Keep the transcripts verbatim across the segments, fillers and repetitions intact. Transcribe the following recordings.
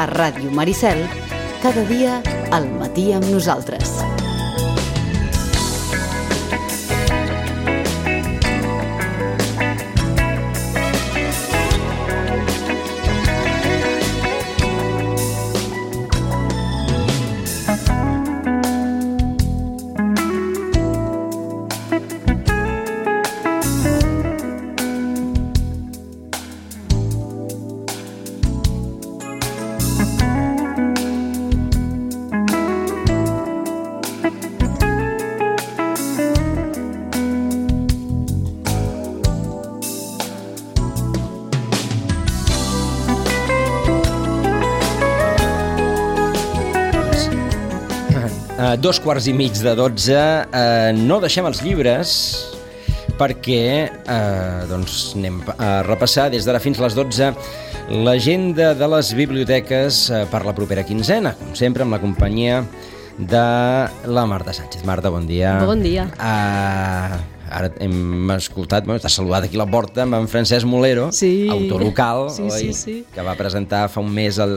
a Ràdio Maricel, cada dia al matí amb nosaltres. Dos quarts i mig de dotze, eh, no deixem els llibres perquè eh, doncs anem a repassar des d'ara fins a les dotze l'agenda de les biblioteques eh, per la propera quinzena, com sempre amb la companyia de la Marta Sánchez. Marta, bon dia. Bon dia. Uh, ara hem escoltat, bueno, t'ha saludat aquí a la porta amb en Francesc Molero, sí. autor local, sí, oi? Sí, sí. Que va presentar fa un mes el,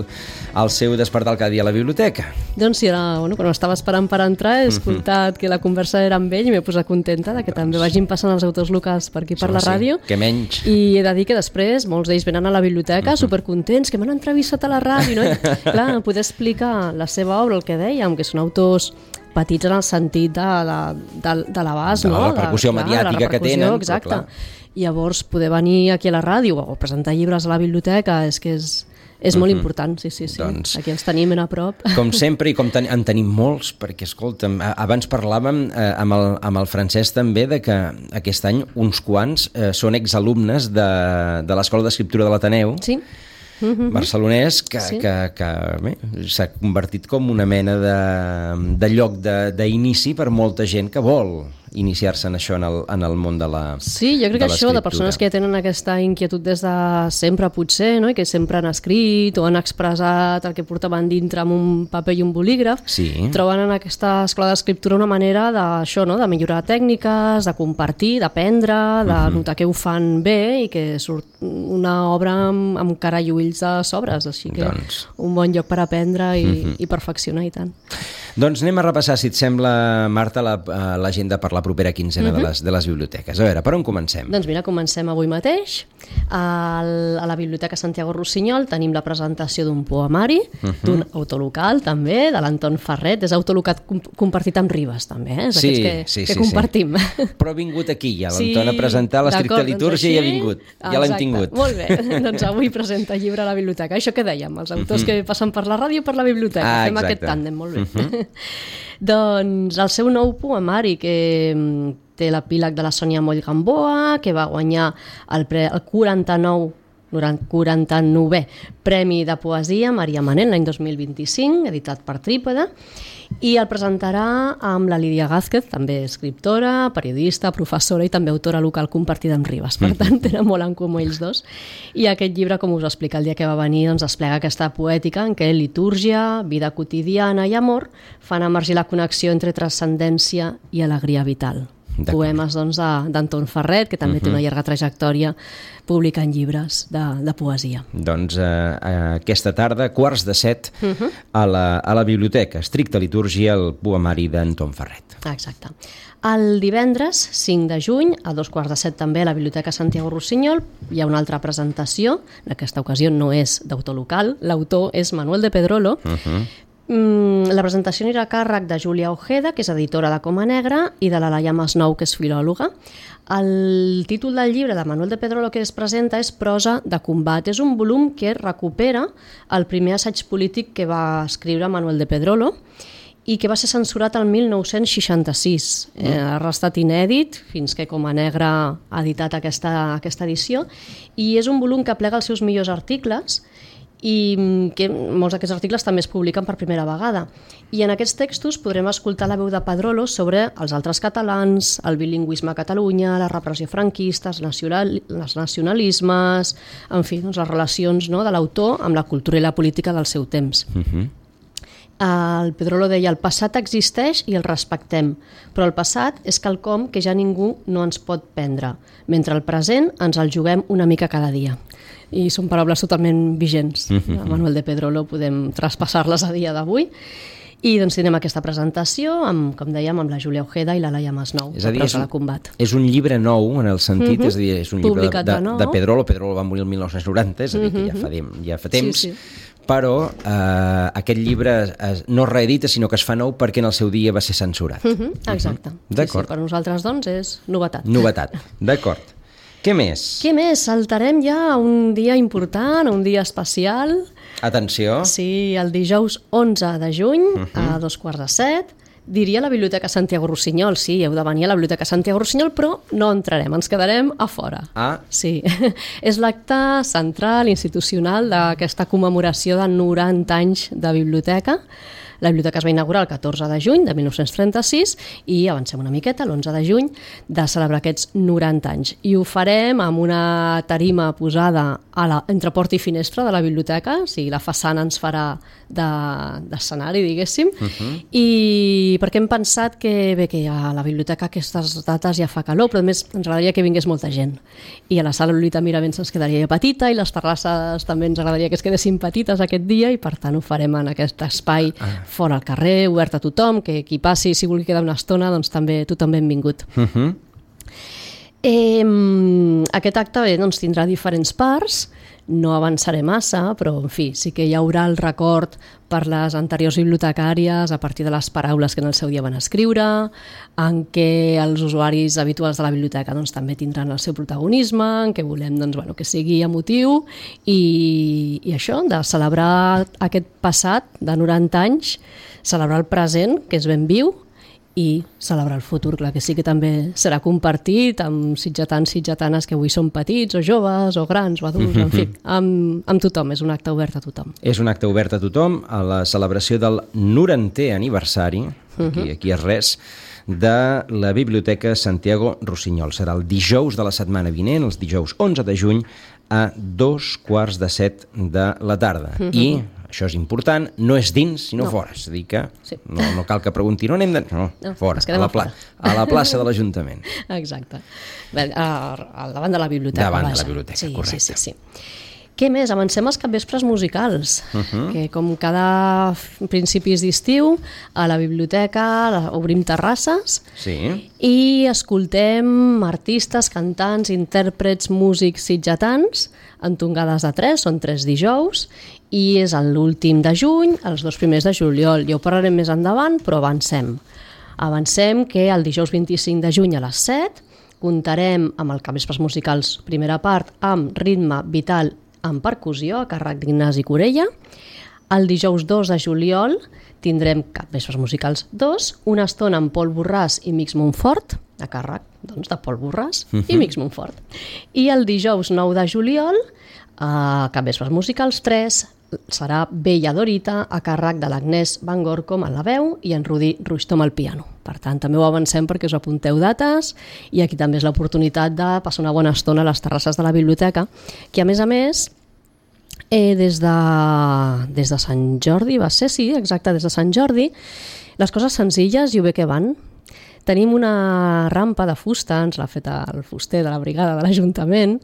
el seu Despertar cada dia a la biblioteca. Doncs sí, era, bueno, quan estava esperant per entrar he escoltat uh-huh. que la conversa era amb ell i m'he posat contenta de que doncs... també vagin passant els autors locals per aquí per la ràdio. Sí, que menys. I he de dir que després molts d'ells venen a la biblioteca uh-huh. supercontents, que m'han entrevistat a la ràdio, no? I, clar, poder explicar la seva obra, el que dèiem, que són autors petits en el sentit de, de, de, de l'abast, no? De la repercussió de, mediàtica clar, la repercussió, que tenen. Exacte. I llavors poder venir aquí a la ràdio o presentar llibres a la biblioteca és que és, és molt uh-huh. important, sí, sí, sí. Doncs, aquí els tenim ben a prop. Com sempre, i com ten, en tenim molts, perquè, escolta'm, abans parlàvem eh, amb, el, amb el Francesc també de que aquest any uns quants eh, són exalumnes de, de l'Escola d'Escriptura de l'Ateneu. Sí. Uh-huh. barcelonès que, sí. que, que bé, s'ha convertit com una mena de, de lloc d'inici per molta gent que vol iniciar-se en això, en el, en el món de la Sí, jo crec que això de persones que ja tenen aquesta inquietud des de sempre potser, no? I que sempre han escrit o han expressat el que portaven dintre amb un paper i un bolígraf, sí. troben en aquesta escola d'escriptura una manera d'això, no? De millorar tècniques, de compartir, d'aprendre, de uh-huh. notar que ho fan bé i que surt una obra amb, amb cara i ulls de sobres, així que doncs... un bon lloc per aprendre i, uh-huh. i perfeccionar i tant. Doncs anem a repassar, si et sembla, Marta, l'agenda per la propera quinzena uh-huh. de, les, de les biblioteques. A veure, per on comencem? Doncs mira, comencem avui mateix. Al, a la Biblioteca Santiago Rossinyol tenim la presentació d'un poemari, uh-huh. d'un autor local també, de l'Anton Ferret. És autor local compartit amb Ribes també, eh? És sí, que, sí, que sí, compartim. Sí. Però ha vingut aquí ja, l'Anton sí, a presentar l'estricta litúrgia doncs i ha vingut. Ja l'hem tingut. Molt bé, doncs avui presenta llibre a la biblioteca. Això que dèiem, els autors uh-huh. que passen per la ràdio per la biblioteca. Ah, Fem exacte. aquest tàndem, molt bé. Uh-huh. Doncs el seu nou poemari, que té l'epíleg de la Sònia Moll Gamboa, que va guanyar el, pre, el quaranta-nou quaranta-novè Premi de Poesia Maria Manent l'any dos mil vint-i-cinc, editat per Trípode, i el presentarà amb la Lídia Gázquez, també escriptora, periodista, professora i també autora local compartida amb Ribes. Per tant, tenen molt en comú ells dos. I aquest llibre, com us explica el dia que va venir, doncs desplega aquesta poètica en què litúrgia, vida quotidiana i amor fan emergir la connexió entre transcendència i alegria vital. Poemes doncs, d'Anton Ferret, que també uh-huh. té una llarga trajectòria publicant llibres de, de poesia. Doncs eh, aquesta tarda, quarts de set, uh-huh. a, la, a la biblioteca, estricta litúrgia, el poemari d'Anton Ferret. Exacte. El divendres, cinc de juny, a dos quarts de set també a la Biblioteca Santiago Rossinyol, hi ha una altra presentació, en aquesta ocasió no és d'autor local, l'autor és Manuel de Pedrolo. Uh-huh. La presentació anirà a càrrec de Júlia Ojeda, que és editora de Coma Negra, i de la Laia Masnou, que és filòloga. El títol del llibre de Manuel de Pedrolo que es presenta és Prosa de combat. És un volum que recupera el primer assaig polític que va escriure Manuel de Pedrolo i que va ser censurat el mil nou-cents seixanta-sis. Mm. Eh, ha restat inèdit fins que Coma Negra ha editat aquesta, aquesta edició, i és un volum que aplega els seus millors articles i que molts d'aquests articles també es publiquen per primera vegada. I en aquests textos podrem escoltar la veu de Pedrolo sobre els altres catalans, el bilingüisme a Catalunya, la repressió franquista, els, nacional, els nacionalismes, en fi, doncs les relacions, no, de l'autor amb la cultura i la política del seu temps. Uh-huh. El Pedrolo deia, el passat existeix i el respectem, però el passat és quelcom que ja ningú no ens pot prendre, mentre el present ens el juguem una mica cada dia. I són paraules totalment vigents. Mm-hmm. A Manuel de Pedrolo podem traspassar-les a dia d'avui. I doncs tindrem aquesta presentació, amb, com dèiem, amb la Júlia Ojeda i la Laia Masnou, és a dir, és un, de combat. És un llibre nou en el sentit, mm-hmm. és a dir, és un llibre de, de, de Pedrolo. Pedrolo va morir el mil nou-cents noranta, és a dir, que ja fa, de, ja fa temps, sí, sí. Però eh, aquest llibre es, no es reedita, sinó que es fa nou perquè en el seu dia va ser censurat. Mm-hmm. Exacte. Mm-hmm. D'acord. Sí, sí, per nosaltres, doncs, és novetat. Novetat, d'acord. Què més? Què més? Saltarem ja a un dia important, a un dia especial. Atenció. Sí, el dijous onze de juny, uh-huh. a dos quarts de set, diria la Biblioteca Santiago Rossinyol. Sí, heu de venir a la Biblioteca Santiago Rossinyol, però no entrarem, ens quedarem a fora. Ah. Sí, és l'acte central, institucional, d'aquesta commemoració de noranta anys de biblioteca. La biblioteca es va inaugurar el catorze de juny de mil nou-cents trenta-sis i avancem una miqueta, l'onze de juny, de celebrar aquests noranta anys. I ho farem amb una tarima posada a la, entre porta i finestra de la biblioteca, o sigui, la façana ens farà d'escenari, de, diguéssim, uh-huh. I perquè hem pensat que, bé, que a la biblioteca aquestes dates ja fa calor, però a més ens agradaria que vingués molta gent. I a la sala Lolita Miravents ens quedaria petita i les terrasses també ens agradaria que es quedessin petites aquest dia i per tant ho farem en aquest espai ah. fora al carrer, obert a tothom, que qui passi, si vulgui quedar una estona, doncs també tothom benvingut. Uh-huh. eh, aquest acte bé, doncs, tindrà diferents parts, no avançaré massa, però en fi, sí que hi haurà el record per les anteriors bibliotecàries a partir de les paraules que en el seu dia van escriure, en què els usuaris habituals de la biblioteca doncs, també tindran el seu protagonisme, en què volem doncs, bueno, que sigui emotiu i, i això, de celebrar aquest passat de noranta anys, celebrar el present, que és ben viu, i celebrar el futur, clar que sí que també serà compartit amb sitgetans, sitgetanes que avui són petits o joves o grans o adults, en fi, amb, amb tothom, és un acte obert a tothom. És un acte obert a tothom a la celebració del norantè aniversari, aquí, aquí és res, de la Biblioteca Santiago Rossinyol. Serà el dijous de la setmana vinent, els dijous onze de juny, a dos quarts de set de la tarda. Uh-huh. I, això és important, no és dins, sinó no. fora. És a dir que sí. no, no cal que pregunti, no anem de... No, no fora, a la, pla... a la plaça de l'Ajuntament. Exacte. Bé, al davant de la biblioteca. Davant vaja. de la biblioteca, sí, correcte. Sí, sí, sí. Què més? Avancem als capvespres musicals, uh-huh. que com cada principis d'estiu a la biblioteca obrim terrasses sí. i escoltem artistes, cantants, intèrprets, músics sitgetans en tongades de tres, són tres dijous i és l'últim de juny, els dos primers de juliol. Ja ho parlarem més endavant, però avancem. Avancem que el dijous vint-i-cinc de juny a les set comptarem amb el capvespres musicals primera part amb ritme vital en percussió a càrrec d'Ignasi Corella. El dijous dos de juliol tindrem capvespres musicals dos, una estona amb Pol Borràs i Mix Montfort, a càrrec doncs, de Pol Borràs uh-huh. i Mix Montfort. I el dijous nou de juliol, a capvespres musicals tres, serà Bella Dorita a càrrec de l'Agnès Van Gorcom a la veu i en Rudi Ruixtom al piano. Per tant, també ho avancem perquè us apunteu dates i aquí també és l'oportunitat de passar una bona estona a les terrasses de la biblioteca, que a més a més, eh, des, de, des de Sant Jordi, va ser, sí, exacte, des de Sant Jordi, les coses senzilles i ho bé que van. Tenim una rampa de fusta, ens l'ha fet el fuster de la brigada de l'Ajuntament,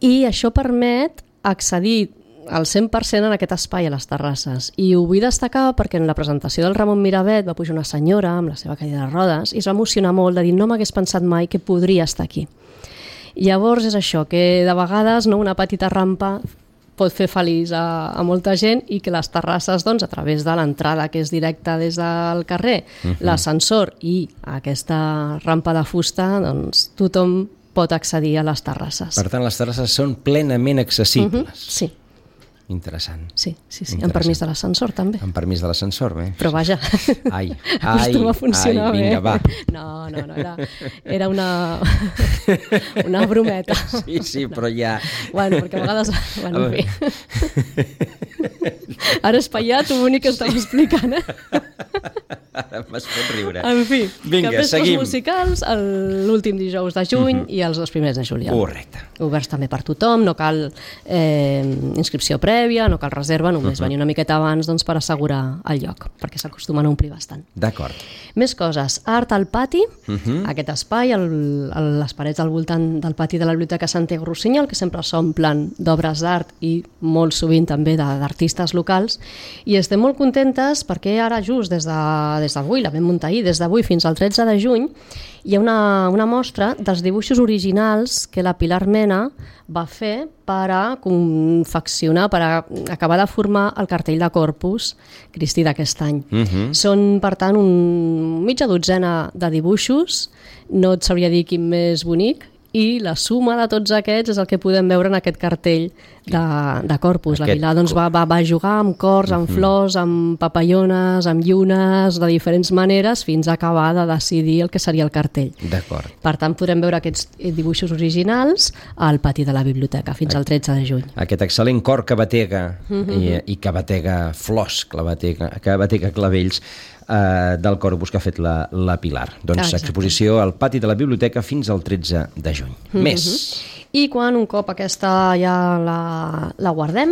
i això permet accedir al cent per cent en aquest espai a les terrasses. I ho vull destacar perquè en la presentació del Ramon Miravet va pujar una senyora amb la seva cadira de rodes i es va emocionar molt de dir no m'hagués pensat mai que podria estar aquí. Llavors és això, que de vegades no, una petita rampa pot fer feliç a, a molta gent i que les terrasses, doncs, a través de l'entrada que és directa des del carrer, uh-huh. l'ascensor i aquesta rampa de fusta, doncs tothom pot accedir a les terrasses. Per tant, les terrasses són plenament accessibles. Uh-huh. Sí. Interessant. Sí, sí, sí. Amb permís de l'ascensor, també. Amb permís de l'ascensor, bé. Però vaja, ai, ai, acostuma a funcionar ai, vinga, bé. va. No, no, no, era, era una, una brometa. Sí, sí, però ja... Bueno, perquè a vegades... Bueno, en fi. Ara és paiat, ho únic que estava explicant, eh? Ara m'has fet riure. En fi, Vinga, capvespres seguim. musicals el- l'últim dijous de juny uh -huh. i els dos primers de juliol. Correcte. Oberts també per tothom, no cal eh, inscripció prèvia, no cal reserva, només uh -huh. venir una miqueta abans doncs, per assegurar el lloc, perquè s'acostumen a omplir bastant. D'acord. Més coses. Art al pati, uh Mhm. -huh. aquest espai, el, el, les parets al voltant del pati de la Biblioteca Santiago Rossinyol, que sempre s'omplen d'obres d'art i molt sovint també de- d'artistes locals, i estem molt contentes perquè ara just des de, des d'avui, la vam muntar ahir, des d'avui fins al tretze de juny, hi ha una, una mostra dels dibuixos originals que la Pilar Mena va fer per a confeccionar, per a acabar de formar el cartell de Corpus Christi d'aquest any. Mhm. Són, per tant, un mitja dotzena de dibuixos, no et sabria dir quin més bonic, i la suma de tots aquests és el que podem veure en aquest cartell de, de Corpus. La Aquest Pilar doncs, va, va, va jugar amb cors, amb flors, amb papallones, amb llunes, de diferents maneres, fins a acabar de decidir el que seria el cartell. D'acord. Per tant, podrem veure aquests dibuixos originals al pati de la biblioteca fins al tretze de juny. Aquest excel·lent cor que batega i, i que batega flors, que batega, que batega clavells eh, del Corpus que ha fet la, la Pilar. Doncs Exacte. exposició al pati de la biblioteca fins al tretze de juny. Més. I quan un cop aquesta ja la, la guardem,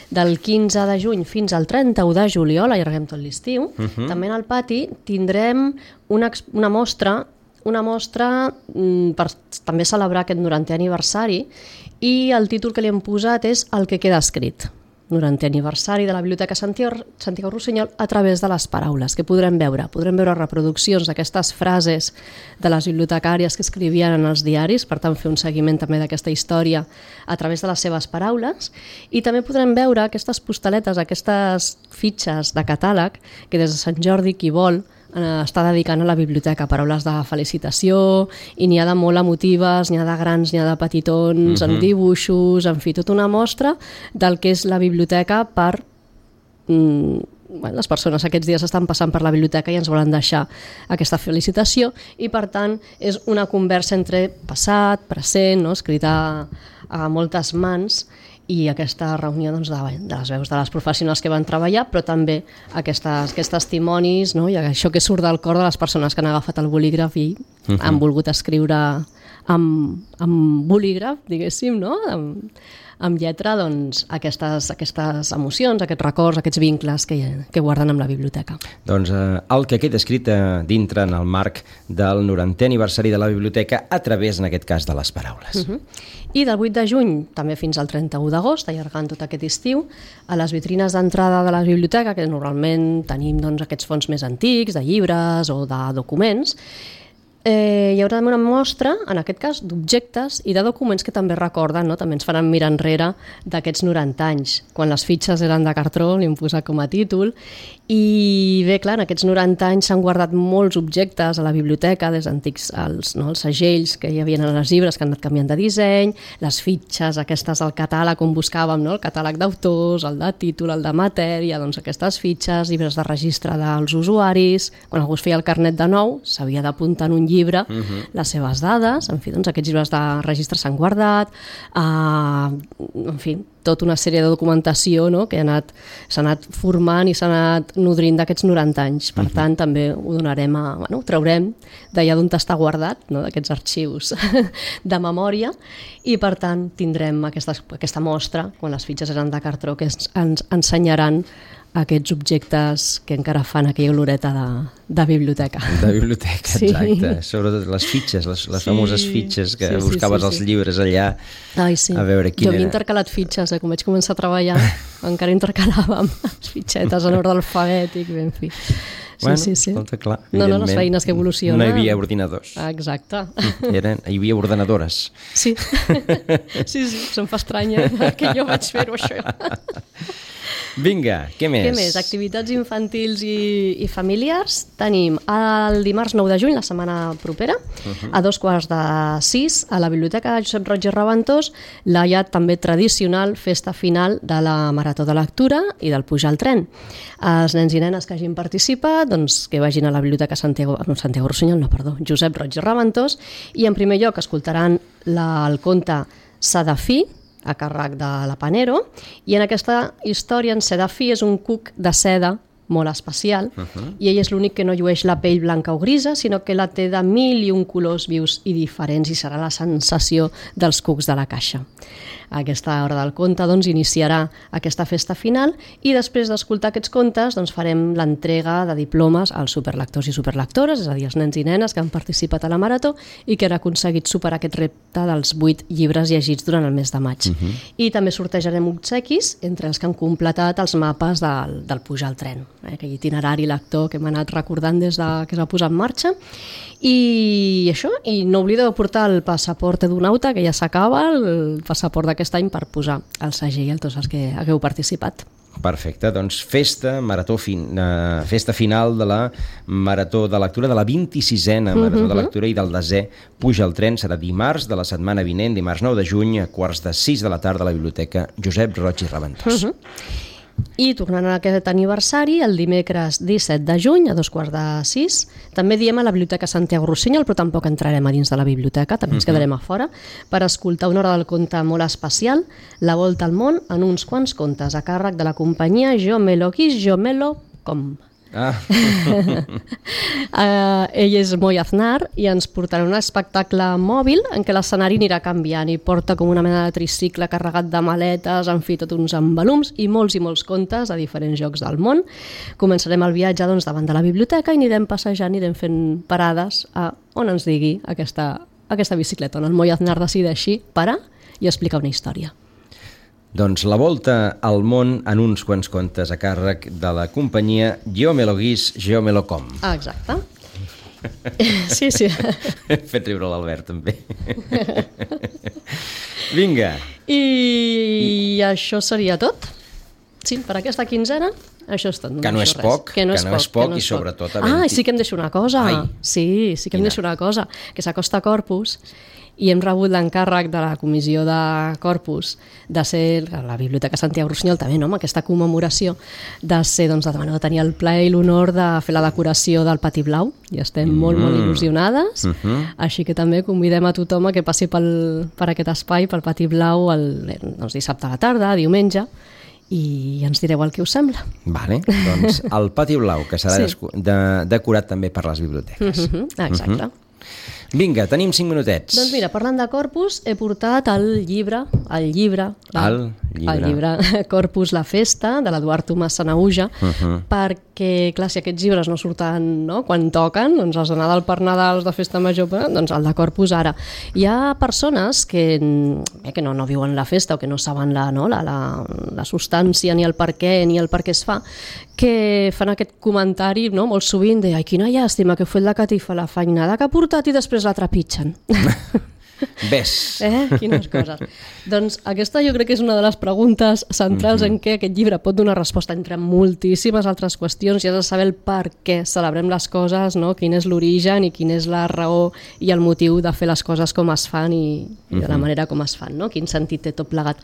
del quinze de juny fins al trenta-u de juliol, allarguem tot l'estiu, també en el pati tindrem una, ex- una mostra una mostra mm, per també celebrar aquest norantè aniversari, i el títol que li hem posat és El que queda escrit. norantè aniversari de la Biblioteca Santiago, Santiago Rossinyol a través de les paraules, que podrem veure. Podrem veure reproduccions d'aquestes frases de les bibliotecàries que escrivien en els diaris, per tant fer un seguiment també d'aquesta història a través de les seves paraules, i també podrem veure aquestes postaletes, aquestes fitxes de catàleg que des de Sant Jordi qui vol eh, està dedicant a la biblioteca, paraules de felicitació, i n'hi ha de molt emotives, n'hi ha de grans, n'hi ha de petitons, uh-huh. amb dibuixos, en fi, tota una mostra del que és la biblioteca per... Mm, bueno, les persones aquests dies estan passant per la biblioteca i ens volen deixar aquesta felicitació, i per tant és una conversa entre passat, present, no? escrita a moltes mans, i aquesta reunió doncs, de, de les veus de les professionals que van treballar, però també aquestes, aquests testimonis, no? I això que surt del cor de les persones que han agafat el bolígraf i uh-huh. han volgut escriure amb, amb bolígraf, diguéssim, no? amb, amb lletra, doncs, aquestes, aquestes emocions, aquests records, aquests vincles que, que guarden amb la biblioteca. Doncs eh, el que queda escrit eh, dintre en el marc del norantè aniversari de la biblioteca a través, en aquest cas, de les paraules. Uh-huh. I del vuit de juny, també fins al trenta-u d'agost, allargant tot aquest estiu, a les vitrines d'entrada de la biblioteca, que normalment tenim doncs, aquests fons més antics, de llibres o de documents, Eh, hi haurà una mostra, en aquest cas, d'objectes i de documents que també recorden, no? També ens faran mirar enrere d'aquests noranta anys, quan les fitxes eren de cartró, li hem posat com a títol, i bé, clar, en aquests noranta anys s'han guardat molts objectes a la biblioteca, des d'antics els, no, els segells que hi havia en els llibres que han anat canviant de disseny, les fitxes aquestes al catàleg on buscàvem, no? El catàleg d'autors, el de títol, el de matèria, doncs aquestes fitxes, llibres de registre dels usuaris, quan algú es feia el carnet de nou, s'havia d'apuntar en un llibre uh-huh. les seves dades, en fi, doncs aquests llibres de registre s'han guardat, uh, en fi, tota una sèrie de documentació, no? Que ha anat, s'ha anat formant i s'ha anat nodrint d'aquests noranta anys. Per uh-huh. tant, també ho donarem a... Bueno, ho traurem d'allà d'on està guardat, no? D'aquests arxius de memòria, i per tant tindrem aquesta, aquesta mostra, quan les fitxes eren de cartró, que ens, ens ensenyaran aquests objectes que encara fan aquella oloreta de, de biblioteca. De biblioteca, sí. exacte. Sobretot les fitxes, les, les sí. famoses fitxes que sí, sí, buscaves sí, sí. els llibres allà. Ai, sí. A veure quina jo havia era. intercalat fitxes, eh? Com vaig començar a treballar, encara intercalàvem les fitxetes en ordre alfabètic, en fi. Sí, bueno, sí, sí. Escolta, clar, no, no, les feines que evolucionen. No hi havia ordinadors. Ah, exacte. Eren, hi havia ordenadores. Sí, sí, sí, se'm fa estranya que jo vaig fer-ho, això. Vinga, què més? Què més? Activitats infantils i, i familiars. Tenim el dimarts nou de juny, la setmana propera, uh-huh. a dos quarts de sis, a la Biblioteca Josep Roig i Reventós, la ja també tradicional festa final de la Marató de Lectura i del Pujar al Tren. Els nens i nenes que hagin participat, doncs que vagin a la Biblioteca Santiago, no, Santiago Rossinyol, no, perdó, Josep Roig i Reventós, i en primer lloc escoltaran la, el conte Sadafí, a càrrec de la Panero, i en aquesta història en Sedafí és un cuc de seda molt especial, uh-huh. i ell és l'únic que no llueix la pell blanca o grisa, sinó que la té de mil i un colors vius i diferents, i serà la sensació dels cucs de la caixa. A aquesta hora del conte doncs, iniciarà aquesta festa final i després d'escoltar aquests contes doncs, farem l'entrega de diplomes als superlectors i superlectores, és a dir, els nens i nenes que han participat a la marató i que han aconseguit superar aquest repte dels vuit llibres llegits durant el mes de maig. Uh-huh. I també sortejarem obsequis entre els que han completat els mapes del, del pujar al tren, eh? Aquell itinerari lector que hem anat recordant des de que es va posar en marxa. I això, i no oblideu de portar el passaport edonauta, que ja s'acaba, el passaport d'aquest any per posar el segell a tots els que hagueu participat. Perfecte, doncs festa, marató fin, uh, festa final de la marató de lectura, de la vint-i-sisena marató de lectura i del desè Puja al tren, serà dimarts de la setmana vinent, dimarts nou de juny, a quarts de sis de la tarda a la Biblioteca Josep Roig i Raventós. Uh-huh. I tornant a aquest aniversari, el dimecres disset de juny, a dos quarts de sis, també diem a la Biblioteca Santiago Rossinyol, però tampoc entrarem a dins de la biblioteca, també ens quedarem a fora, per escoltar una hora del conte molt especial, La volta al món en uns quants contes, a càrrec de la companyia Jo me lo quis, jo me lo com. Ah. uh, ell és Moi Aznar i ens portarà un espectacle mòbil en què l'escenari anirà canviant i porta com una mena de tricicle carregat de maletes, en fi, tot uns embalums i molts i molts contes a diferents llocs del món. Començarem el viatge doncs, davant de la biblioteca i anirem passejant, anirem fent parades a on ens digui aquesta, aquesta bicicleta, on el Moi Aznar decideixi parar i explicar una història. Doncs la volta al món en uns quants contes a càrrec de la companyia Jo me lo guis, jo me lo com. Ah, exacte. Sí, sí. He fet riure l'Albert, també. Vinga. I això seria tot. Sí, per aquesta quinzena, això és tot. No que no és res. poc, que no és, que no és poc, poc i sobretot... Poc. Ah, i sí que em deixo una cosa. Ai. Sí, sí que em Quina? deixo una cosa, que s'acosta Corpus i hem rebut l'encàrrec de la comissió de Corpus de ser, la Biblioteca Santiago Rossinyol també, no?, amb aquesta commemoració de ser, doncs, de, bueno, de tenir el plaer i l'honor de fer la decoració del Pati Blau, i estem mm. molt, molt il·lusionades, uh -huh. així que també convidem a tothom a que passi pel, per aquest espai, pel Pati Blau, el, doncs, dissabte a la tarda, diumenge, i ens direu el que us sembla. Vale, doncs el Pati Blau, que serà sí. de, decorat també per les biblioteques. Uh -huh. Exacte. Uh -huh. Vinga, tenim cinc minutets. Doncs mira, parlant de Corpus, he portat el llibre, el llibre, el llibre, el llibre Corpus, la festa, de l'Eduard Tomàs Sanaüja, uh -huh. perquè, clar, si aquests llibres no surten, no?, quan toquen, doncs els de Nadal per Nadal, de festa major, doncs el de Corpus ara. Hi ha persones que, eh, que no, no viuen la festa o que no saben la, no, la, la, la substància, ni el per què, ni el per què es fa, que fan aquest comentari, no?, molt sovint de ai, quina llàstima que fue la catifa, la feinada que ha portat i després la trepitgen. Ves. Eh? Quines coses. Doncs aquesta jo crec que és una de les preguntes centrals mm-hmm. en què aquest llibre pot donar resposta entre moltíssimes altres qüestions i has de saber el per què celebrem les coses, no? Quin és l'origen i quina és la raó i el motiu de fer les coses com es fan i, i de la manera com es fan, no? Quin sentit té tot plegat.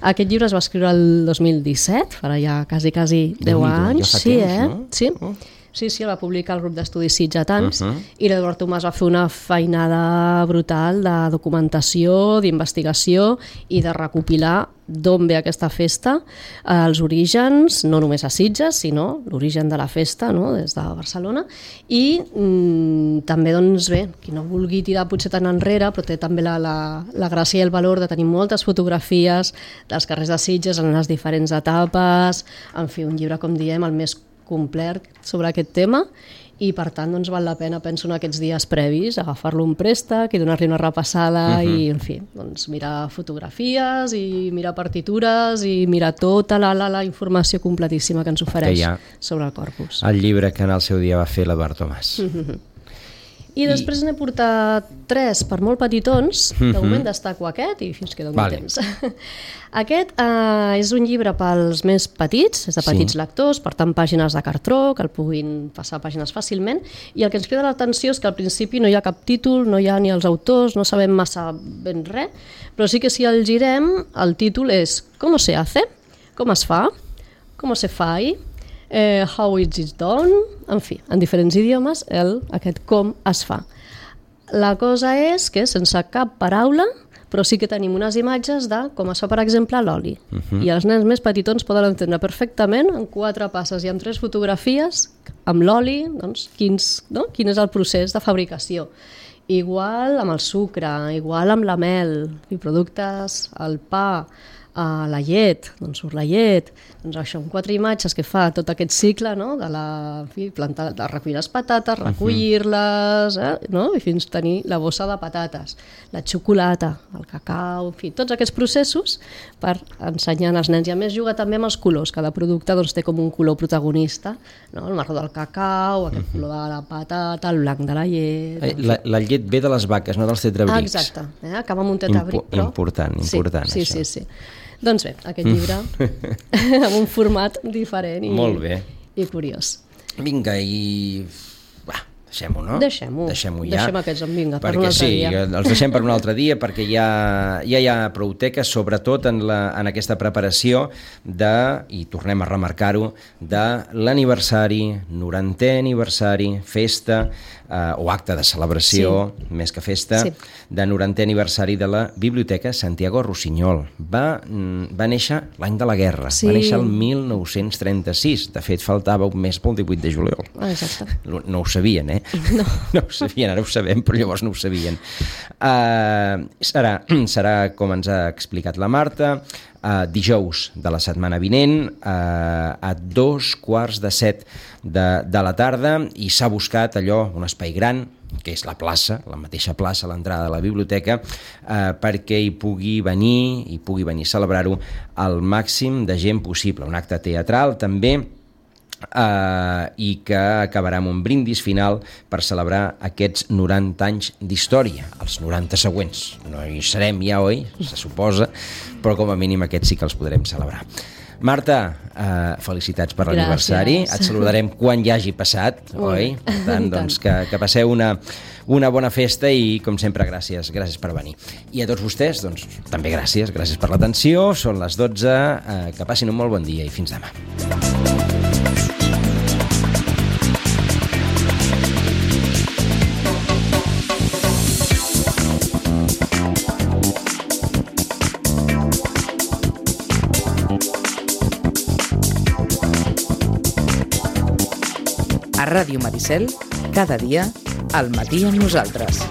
Aquest llibre es va escriure el dos mil disset, farà ja quasi, quasi deu anys. Ja fa sí, temps, eh? no? Sí. Oh. Sí, sí, el va publicar el grup d'estudis sitgetans uh -huh. i l'Eduard Tomàs va fer una feinada brutal de documentació, d'investigació i de recopilar d'on ve aquesta festa, els orígens, no només a Sitges, sinó l'origen de la festa, no?, des de Barcelona, i mm, també, doncs bé, qui no vulgui tirar potser tan enrere, però té també la, la, la gràcia i el valor de tenir moltes fotografies dels carrers de Sitges en les diferents etapes, en fi, un llibre, com diem, el més complet sobre aquest tema i per tant doncs val la pena, penso, en aquests dies previs agafar-lo un préstec i donar-li una repassada uh-huh. i en fi, doncs mirar fotografies i mirar partitures i mirar tota la, la, la informació completíssima que ens ofereix que sobre el Corpus. El llibre que en el seu dia va fer l'Eduard Tomàs. Uh-huh. I després I... n'he portat tres per molt petitons, de moment destaco aquest i fins que doni vale. temps. Aquest eh, és un llibre pels més petits, és de petits sí. lectors, per tant pàgines de cartró, que el puguin passar pàgines fàcilment, i el que ens crida l'atenció és que al principi no hi ha cap títol, no hi ha ni els autors, no sabem massa ben res, però sí que si el girem, el títol és ¿Cómo se hace? Com es fa? ¿Cómo se fai? Eh, how is it done? En fi, en diferents idiomes, el, aquest com es fa. La cosa és que sense cap paraula però sí que tenim unes imatges de com es fa, per exemple, l'oli. Uh-huh. I els nens més petitons poden entendre perfectament, en quatre passes i amb tres fotografies, amb l'oli, doncs, quins, no? quin és el procés de fabricació. Igual amb el sucre, igual amb la mel, i productes, el pa, a la llet, doncs surt la llet, doncs això, amb quatre imatges que fa tot aquest cicle, no? de, la, en fi, plantar, de recollir les patates, recollir-les, eh? no? i fins tenir la bossa de patates, la xocolata, el cacau, en fi, tots aquests processos per ensenyar als nens. I a més juga també amb els colors, cada producte doncs, té com un color protagonista, no? El marró del cacau, aquest color de la patata, el blanc de la llet... Eh, la, la llet ve de les vaques, no dels tetrabrics. Ah, exacte, eh? Acaba amb un tetrabric, Impo però... Important, important, sí, això. Sí, sí, sí. Doncs bé, aquest llibre amb un format diferent i, Molt bé. i curiós. Vinga, i... Va, deixem-ho, no? Deixem-ho. Deixem-ho ja. Deixem aquests, vinga, per perquè un altre sí, dia. els deixem per un altre dia perquè ja, ja hi ha prou teca, sobretot en, la, en aquesta preparació de, i tornem a remarcar-ho, de l'aniversari, norantè aniversari, festa, eh, o acte de celebració, sí. més que festa, sí. de norantè aniversari de la Biblioteca Santiago Rossinyol. Va, va néixer l'any de la guerra, sí. va néixer el mil nou-cents trenta-sis, de fet faltava un mes pel divuit de juliol. Ah, exacte. No ho sabien, eh? No. No ho sabien, ara ho sabem, però llavors no ho sabien. Uh, serà, serà, com ens ha explicat la Marta, uh, dijous de la setmana vinent, uh, a dos quarts de set de, de la tarda, i s'ha buscat allò, un espai gran, que és la plaça, la mateixa plaça, l'entrada de la biblioteca, eh, perquè hi pugui venir, hi pugui venir a celebrar-ho al màxim de gent possible. Un acte teatral, també, Uh, i que acabarà amb un brindis final per celebrar aquests noranta anys d'història, els noranta següents. No hi serem ja, oi? Se suposa, però com a mínim aquests sí que els podrem celebrar. Marta, uh, felicitats per l'aniversari. Et saludarem quan ja hagi passat, oi? Per tant, doncs, que, que passeu una, una bona festa i, com sempre, gràcies, gràcies per venir. I a tots vostès, doncs, també gràcies, gràcies per l'atenció. Són les dotze, uh, que passin un molt bon dia i fins demà. A Ràdio Maricel, cada dia, al matí amb nosaltres.